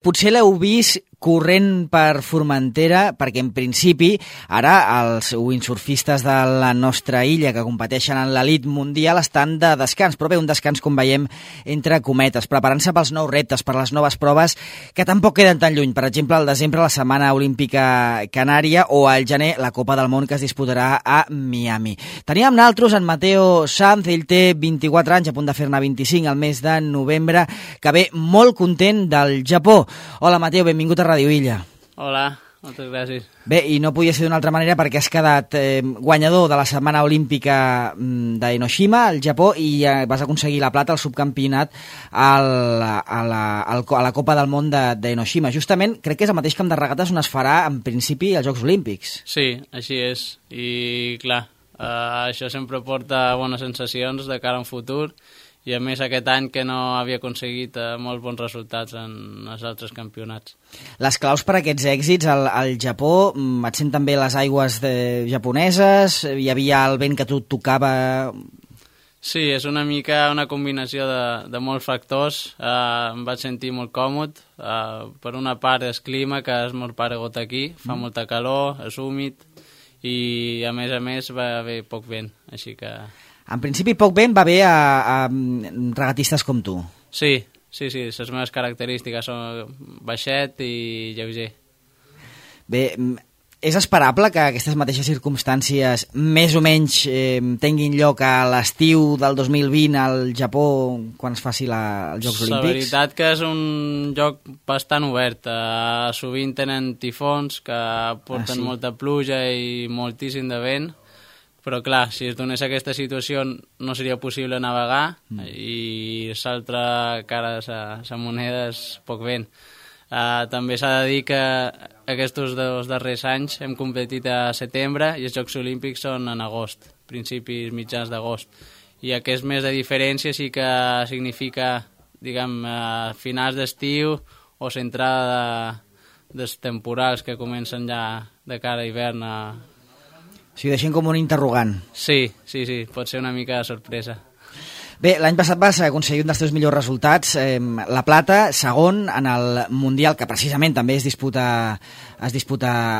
Potser l'heu vist corrent per Formentera, perquè en principi ara els windsurfistes de la nostra illa que competeixen en l'elit mundial estan de descans, però bé, un descans com veiem entre cometes, preparant-se pels nous reptes, per les noves proves que tampoc queden tan lluny. Per exemple, al desembre la Setmana Olímpica Canària o al gener la Copa del Món que es disputarà a Miami. Teníem nosaltres en Mateo Sanz, ell té 24 anys, a punt de fer-ne 25 al mes de novembre, que ve molt content del Japó. Hola Mateo, benvingut a Radio Illa. Hola, moltes gràcies. Bé, i no podia ser d'una altra manera perquè has quedat guanyador de la Setmana Olímpica d'Enoshima, al Japó, i vas aconseguir la plata al subcampionat a la Copa del Món d'Enoshima. Justament, crec que és el mateix camp de regates on es farà, en principi, els Jocs Olímpics. Sí, així és. I, clar, això sempre porta bones sensacions de cara a un futur, i a més aquest any que no havia aconseguit molts bons resultats en els altres campionats. Les claus per a aquests èxits al Japó, et sent també les aigües japoneses, hi havia el vent que tu tocava... Sí, és una mica una combinació de molts factors. Em vaig sentir molt còmode. Per una part és clima, que és molt paregut aquí, fa molta calor, és húmid, i a més va haver poc vent, així que... En principi, poc vent va bé a regatistes com tu. Sí, les meves característiques són baixet i lleuger. Bé, és esperable que aquestes mateixes circumstàncies més o menys tinguin lloc a l'estiu del 2020 al Japó quan es faci els Jocs Olímpics? La veritat que és un joc bastant obert. Sovint tenen tifons que porten molta pluja i moltíssim de vent. Però clar, si es donés aquesta situació no seria possible navegar i l'altra cara de la moneda és poc vent. També s'ha de dir que aquests dos darrers anys hem competit a setembre i els Jocs Olímpics són en agost, principis mitjans d'agost. I aquest mes de diferència sí que significa, diguem, finals d'estiu o l'entrada dels temporals que comencen ja de cara a hivern a... O sigui, deixem com un interrogant. Sí, pot ser una mica de sorpresa. Bé, l'any passat vas aconseguir un dels teus millors resultats, la plata, segon en el Mundial, que precisament també es disputa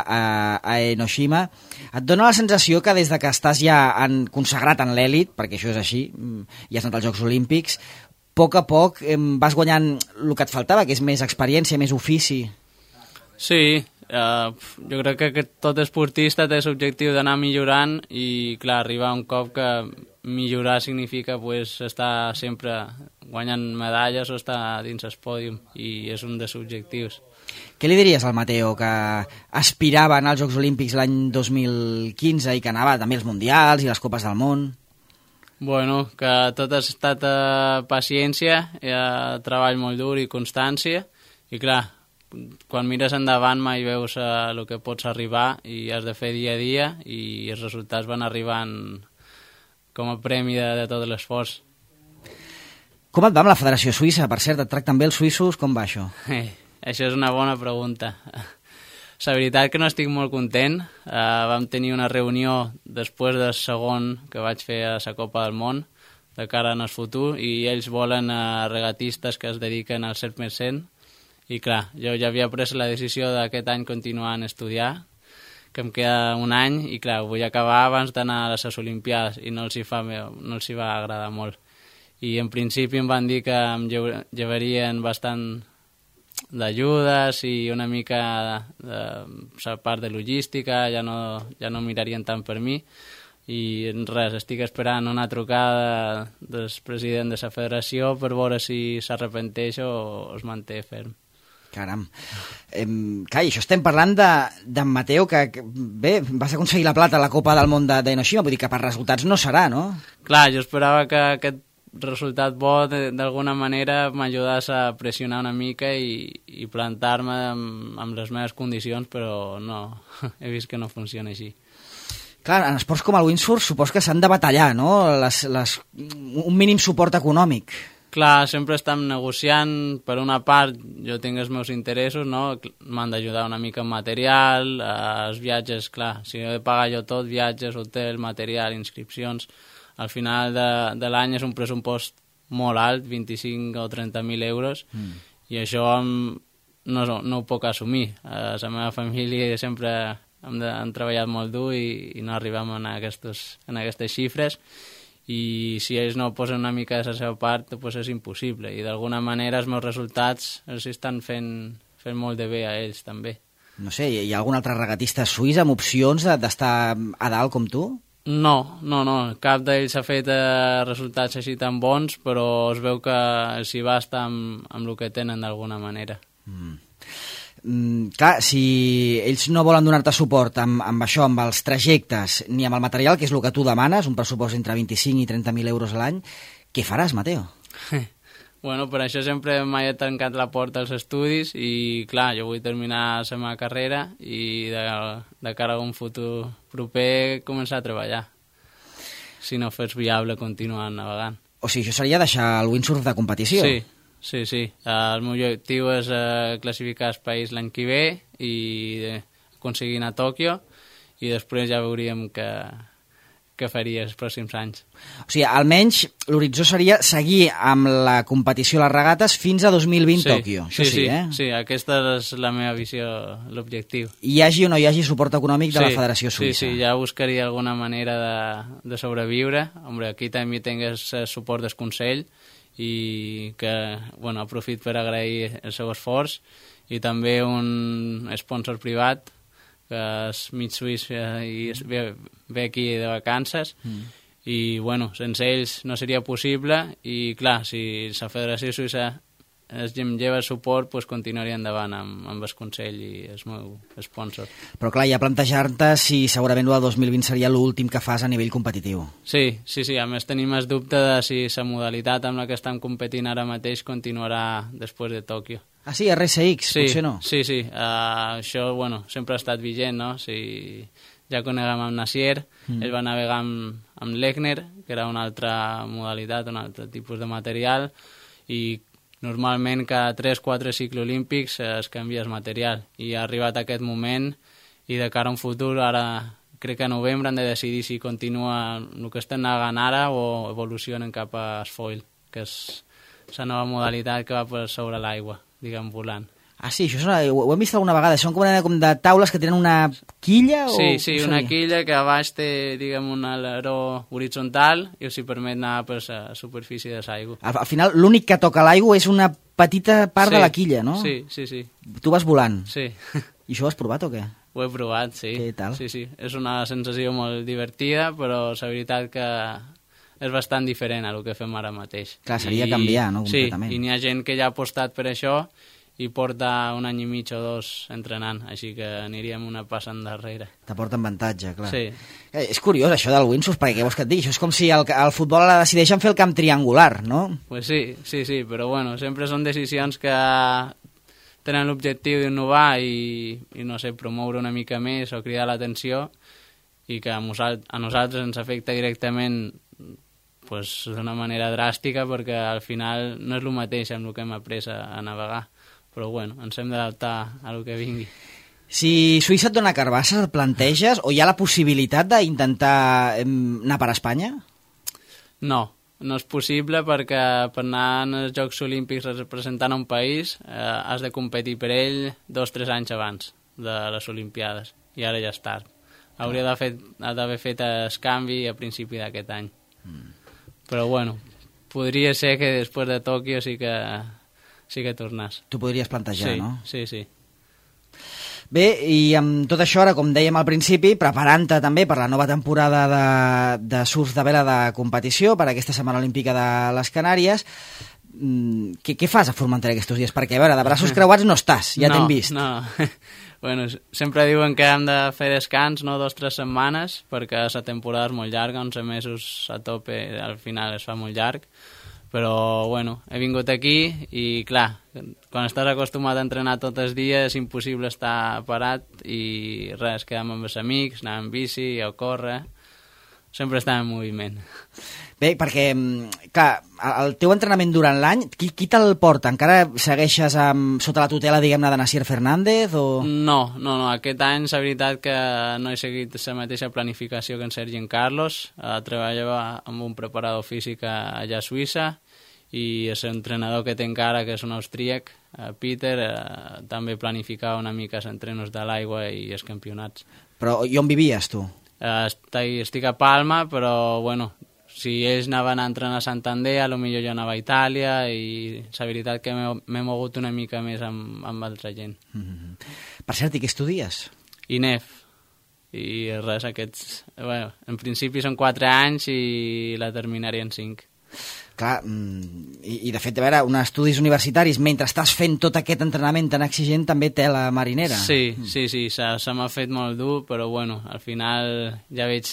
a Enoshima. Et dona la sensació que des de que estàs ja consagrat en l'èlit, perquè això és així, i has anat als Jocs Olímpics, a poc vas guanyant el que et faltava, que és més experiència, més ofici? Sí, jo crec que tot esportista té l'objectiu d'anar millorant i, clar, arribar a un cop que millorar significa estar sempre guanyant medalles o estar dins el pòdium, i és un dels objectius. Què li diries al Mateo, que aspirava a anar als Jocs Olímpics l'any 2015 i que anava també als Mundials i les Copes del Món? Bueno, que tot ha estat paciència, treball molt dur i constància, i clar, quan mires endavant mai veus el que pots arribar i has de fer dia a dia i els resultats van arribant com a premi de tot l'esforç. Com et va amb la Federació Suïssa? Per cert, et tracten bé els suïssos? Com va això? Això és una bona pregunta. La veritat que no estic molt content. Vam tenir una reunió després del segon que vaig fer a la Copa del Món de cara al futur i ells volen regatistes que es dediquen al 100%. I clar, jo ja havia pres la decisió d'aquest any continuar a estudiar, que em queda un any, i clar, vull acabar abans d'anar a les Olimpiades, i no els hi va agradar molt. I en principi em van dir que em llevarien bastant d'ajudes i una mica de la part de logística, ja no mirarien tant per mi, i res, estic esperant una trucada del president de la federació per veure si s'arrepenteix o es manté ferm. Caram. Clar, i això estem parlant d'en Mateo, que bé, vas aconseguir la plata a la Copa del Món d'Enoshima, vull dir que per resultats no serà, no? Clar, jo esperava que aquest resultat bo d'alguna manera m'ajudés a pressionar una mica i plantar-me amb les meves condicions, però no, he vist que no funciona així. Clar, en esports com el windsurf supos que s'han de batallar, no? Un mínim suport econòmic. Clar, sempre estem negociant. Per una part, jo tinc els meus interessos, no? M'han d'ajudar una mica en material, els viatges, clar, si he de pagar jo tot, viatges, hotel, material, inscripcions, al final de l'any és un pressupost molt alt, 25 o 30.000 euros, i això no ho puc assumir. La meva família sempre hem treballat molt dur i no arribem en aquestes xifres, i si ells no posen una mica de la seva part, doncs és impossible, i d'alguna manera els meus resultats els estan fent molt de bé a ells també. No sé, hi ha algun altre regatista suís amb opcions d'estar a dalt com tu? No, cap d'ells ha fet resultats així tan bons, però es veu que s'hi va estar amb el que tenen d'alguna manera. Clar, si ells no volen donar-te suport amb això, amb els trajectes, ni amb el material, que és el que tu demanes, un pressupost entre 25 i 30.000 euros a l'any, què faràs, Mateo? Bueno, per això sempre mai he tancat la porta als estudis i, clar, jo vull terminar la meva carrera i de cara a un futur proper començar a treballar, si no fos viable continuar navegant. O sigui, això seria deixar el windsurf de competició? Sí. El meu objectiu és classificar el país l'any que ve i aconseguir anar a Tòquio, i després ja veuríem què faria els pròxims anys. O sigui, almenys l'horitzó seria seguir amb la competició a les regates fins a 2020 Tòquio. Això Sí, aquesta és la meva visió, l'objectiu. Hi hagi o no hi hagi suport econòmic de la Federació Suïssa. Sí, ja buscaria alguna manera de sobreviure. Hombre, aquí també tingués suport del Consell, i que, bueno, aprofit per agrair el seu esforç, i també un sponsor privat, que és mig suís i ve aquí de vacances, i, bueno, sense ells no seria possible, i, clar, si la Federació Suïssa em lleva suport, doncs continuaria endavant amb el Consell i el meu sponsor. Però, clar, ja plantejar-te si segurament el 2020 seria l'últim que fas a nivell competitiu. Sí, a més tenim el dubte de si la modalitat amb la que estem competint ara mateix continuarà després de Tòquio. Ah, sí, RSX, potser no? Sí, això, bueno, sempre ha estat vigent, no? Si ja coneguem amb Nassier, ell va navegar amb l'Egner, que era una altra modalitat, un altre tipus de material, i normalment cada 3-4 cicles olímpics es canvia el material, i ha arribat aquest moment, i de cara a un futur, ara crec que a novembre han de decidir si continua el que estan navegant ara o evolucionen cap a foil, que és la nova modalitat que va per sobre l'aigua, diguem, volant. Ah, sí, això ho hem vist alguna vegada. Són com de taules que tenen una quilla? Sí, una quilla que a baix té, diguem, un aleró horitzontal i els permet anar per la superfície de l'aigua. Al final, l'únic que toca l'aigua és una petita part de la quilla, no? Sí. Tu vas volant? Sí. I això ho has provat o què? Ho he provat, sí. Què tal? Sí. És una sensació molt divertida, però la veritat que és bastant diferent a el que fem ara mateix. Clar, seria canviar, no? Completament. Sí, i n'hi ha gent que ja ha apostat per això i porta un any i mig o dos entrenant, així que aniríem una passa endarrere. T'aporten avantatge, clar. Sí. És curiós això del windsurf, perquè què vols que et digui? Això és com si el futbol ara decideixen fer el camp triangular, no? Pues sí, però bueno, sempre són decisions que tenen l'objectiu d'innovar i no sé, promoure una mica més o cridar l'atenció, i que a nosaltres ens afecta directament pues, d'una manera dràstica, perquè al final no és el mateix amb el que hem après a navegar. Però bueno, ens hem d'adaptar a el que vingui. Si Suïssa et dona carbassa, et planteges, o hi ha la possibilitat d'intentar anar per Espanya? No és possible, perquè per anar als Jocs Olímpics representant un país has de competir per ell 2-3 anys abans de les Olimpiades, i ara ja és tard. Hauria d'haver fet el canvi a principi d'aquest any. Però bueno, podria ser que després de Tòquio sí que tornàs. Tu podries plantejar, no? Sí. Bé, i amb tot això, ara, com dèiem al principi, preparant-te també per la nova temporada de surf de vela de competició, per aquesta Setmana Olímpica de les Canàries, què fas a Formentera aquests dies? Perquè, a veure, de braços creuats no estàs, ja t'hem vist. No. Bueno, sempre diuen que hem de fer descans, no 2-3 setmanes, perquè la temporada és molt llarga, 11 mesos a tope, al final es fa molt llarg. Però, bueno, he vingut aquí i, clar, quan estàs acostumat a entrenar tots els dies és impossible estar parat i res, quedem amb els amics, anar amb bici o córrer, sempre estem en moviment. Bé, perquè, clar, el teu entrenament durant l'any, qui te'l porta? Encara segueixes sota la tutela, diguem-ne, de Nassier Fernández? O... No, aquest any la veritat que no he seguit la mateixa planificació que en Sergi i en Carlos. Treballava amb un preparador físic allà a Suïssa i l'entrenador que té encara, que és un austríac, Peter, també planificava una mica els entrenos de l'aigua i els campionats. Però i on vivies, tu? Estic a Palma, però, bueno, si ells anaven a entrenar a Santander, potser jo anava a Itàlia, i la veritat que m'he mogut una mica més amb altra gent. Per cert, i què estudies? INEF. I res, aquests... Bueno, en principi són 4 anys i la terminaré en 5. Clar, i de fet, a veure, uns estudis universitaris, mentre estàs fent tot aquest entrenament tan exigent, també té la marinera. Sí, se m'ha fet molt dur, però bueno, al final ja veig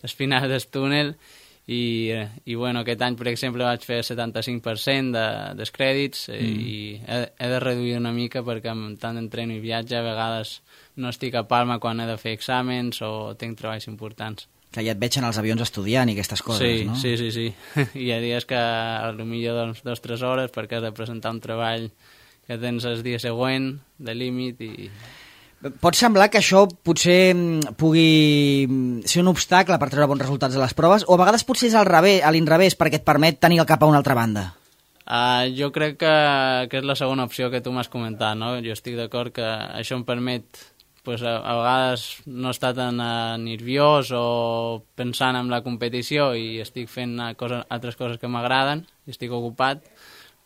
el final del túnel i bueno, aquest any, per exemple, vaig fer el 75% dels crèdits i he de reduir una mica perquè amb tant d'entreno i viatge a vegades no estic a Palma quan he de fer exàmens o tinc treballs importants. Que ja et veig en els avions estudiant i aquestes coses, no? Sí. Hi ha dies que potser 2 o 3 hores perquè has de presentar un treball que tens el dia següent de límit i... Pot semblar que això potser pugui ser un obstacle per treure bons resultats a les proves, o a vegades potser és a l'inrevés perquè et permet tenir el cap a una altra banda? Jo crec que és la segona opció que tu m'has comentat, no? Jo estic d'acord que això em permet pues, a vegades no estar tan nerviós o pensant en la competició i estic fent altres coses que m'agraden i estic ocupat,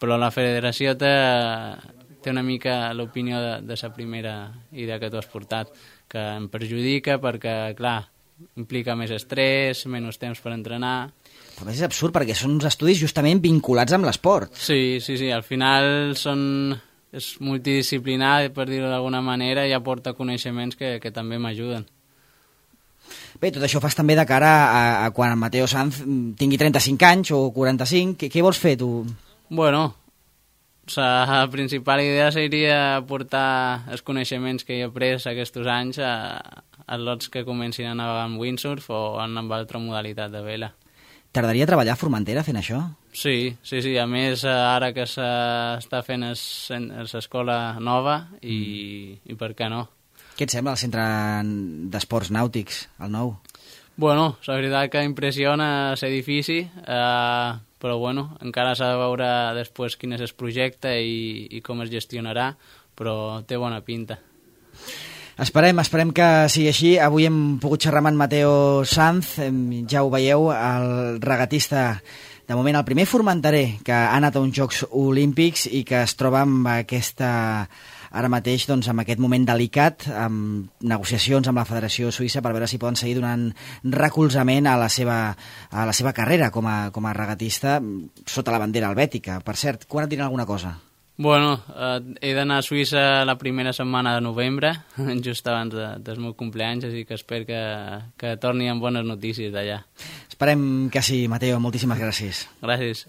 però la federació té una mica l'opinió de la primera idea que tu has portat, que em perjudica perquè, clar, implica més estrès, menys temps per entrenar. Però és absurd perquè són uns estudis justament vinculats amb l'esport. Sí, al final és multidisciplinar, per dir-ho d'alguna manera, i aporta coneixements que també m'ajuden. Bé, tot això fas també de cara a quan Mateo Sanz tingui 35 anys o 45. Què vols fer, tu? Bueno, la principal idea seria portar els coneixements que he après aquests anys a lots que comencin a navegar amb windsurf o amb altra modalitat de vela. T'agradaria treballar a Formentera fent això? Sí. A més, ara que s'està fent l'escola nova i per què no? Què et sembla el centre d'esports nàutics, el nou? Bueno, la veritat que impressiona l'edifici, però bueno, encara s'ha de veure després quin és el projecte i com es gestionarà, però té bona pinta. Esperem que sigui així. Avui hem pogut xerrar amb en Mateo Sanz, ja ho veieu, el regatista, de moment el primer formenterer que ha anat a uns Jocs Olímpics i que es troba amb ara mateix doncs, amb aquest moment delicat, amb negociacions amb la Federació Suïssa per veure si poden seguir donant recolzament a la seva carrera com a regatista sota la bandera helvètica. Per cert, quan et diran alguna cosa? Bueno, he d'anar a Suïssa la primera setmana de novembre, just abans del meu cumpleaños, així que espero que torni amb bones notícies d'allà. Esperem que sí, Mateo. Moltíssimes gràcies. Gràcies.